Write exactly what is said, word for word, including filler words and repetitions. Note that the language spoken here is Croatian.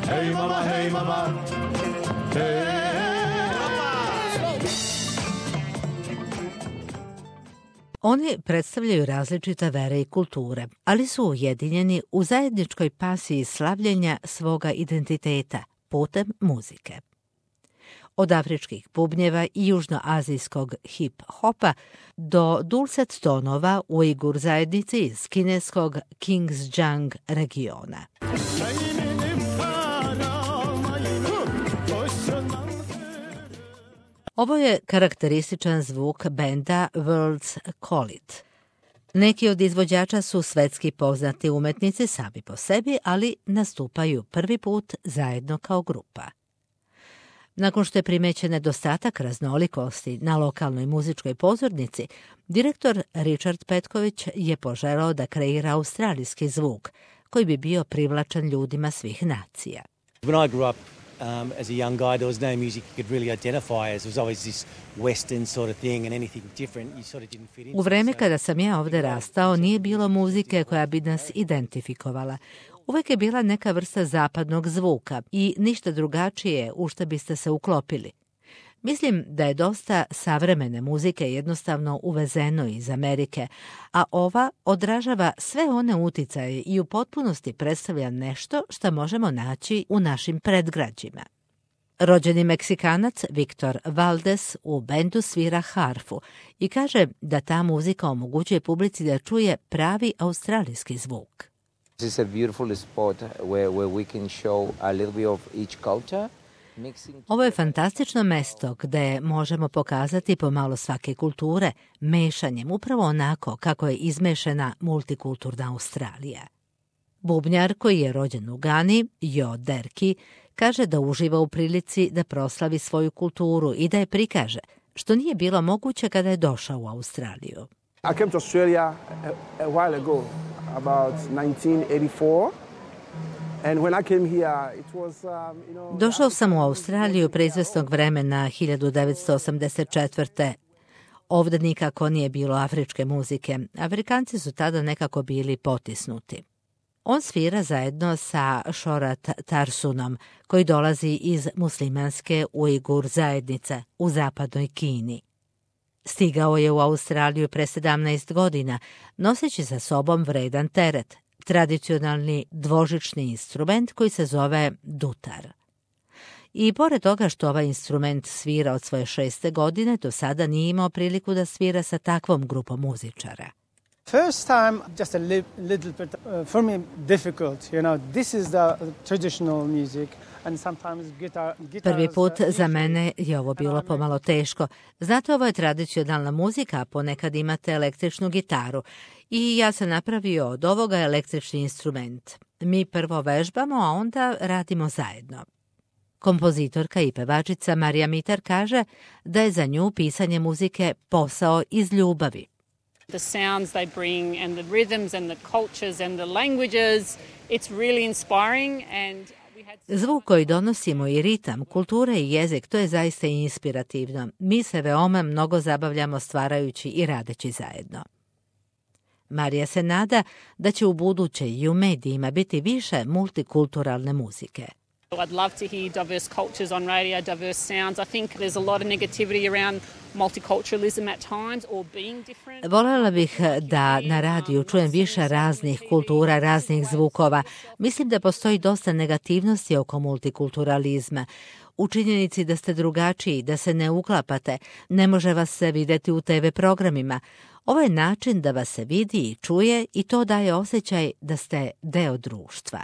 Hey mama, hey mama, hey. Oni predstavljaju različite vere i kulture, ali su ujedinjeni u zajedničkoj pasiji slavljenja svoga identiteta putem muzike. Od afričkih bubnjeva i južnoazijskog hip-hopa do dulcet tonova Ujgur zajednici iz kineskog Xinjiang regiona. Ovo je karakterističan zvuk benda Worlds Call It. Neki od izvođača su svetski poznati umetnici sami po sebi, ali nastupaju prvi put zajedno kao grupa. Nakon što je primećen nedostatak raznolikosti na lokalnoj muzičkoj pozornici, direktor Richard Petković je poželao da kreira australijski zvuk, koji bi bio privlačan ljudima svih nacija. When I grew up um, as a young guy, there was no music you could really identify as. It was always this western sort of thing and anything different you sort of didn't fit into. U vreme kada sam ja ovde rastao, nije bilo muzike koja bi nas identifikovala. Uvek je bila neka vrsta zapadnog zvuka i ništa drugačije u što biste se uklopili. Mislim da je dosta savremene muzike jednostavno uvezeno iz Amerike, a ova odražava sve one uticaje i u potpunosti predstavlja nešto što možemo naći u našim predgrađima. Rođeni Meksikanac Viktor Valdes u bendu svira harfu i kaže da ta muzika omogućuje publici da čuje pravi australijski zvuk. This is a beautiful spot where, where we can show a little bit of each culture. Ovo je fantastično mesto gde možemo pokazati pomalo svake kulture, mešanjem upravo onako kako je izmešana multikulturna Australija. Bubnjar koji je rođen u Gani, Jo Derki, kaže da uživa u prilici da proslavi svoju kulturu i da je prikaže, što nije bilo moguće kada je došao u Australiju. I came to Australia a, a while ago, about nineteen eighty-four. And when I came here, it was, um, you know, Došao sam u Australiju pre izvesnog vremena hiljadu devetsto osamdeset četvrte. Ovde nikako nije bilo afričke muzike. Afrikanci su tada nekako bili potisnuti. On svira zajedno sa Shorat Tarsunom, koji dolazi iz muslimanske Ujgur zajednice u zapadnoj Kini. Stigao je u Australiju pre sedamnaest godina, noseći sa sobom vredan teret, tradicionalni dvožični instrument koji se zove dutar. I pored toga što ovaj instrument svira od svoje šeste godine, do sada nije imao priliku da svira sa takvom grupom muzičara. First time, just a li- little bit, uh, for me, difficult. You know, this is the traditional music. And sometimes guitar, guitar Prvi put za mene je ovo bilo pomalo teško. Znate, ovo je tradicionalna muzika, a ponekad imate električnu gitaru. I ja sam napravio od ovoga električni instrument. Mi prvo vežbamo, a onda radimo zajedno. Kompozitorka i pevačica Marija Mitar kaže da je za nju pisanje muzike posao iz ljubavi. The sounds they bring and the rhythms and the cultures and the languages, it's really inspiring and Zvuk koji donosimo i ritam, kultura i jezik, to je zaista inspirativno. Mi se veoma mnogo zabavljamo stvarajući i radeći zajedno. Marija se nada da će u buduće i u medijima biti više multikulturalne muzike. I'd love to hear diverse cultures on radio, diverse sounds. I think there's a lot of negativity around multiculturalism at times or being different. Voljela bih da na radiju čujem više raznih kultura, raznih zvukova. Mislim da postoji dosta negativnosti oko multikulturalizma. U činjenici da ste drugačiji, da se ne uklapate, ne može vas se videti u te ve programima. Ovo je način da vas se vidi i čuje i to daje osjećaj da ste deo društva.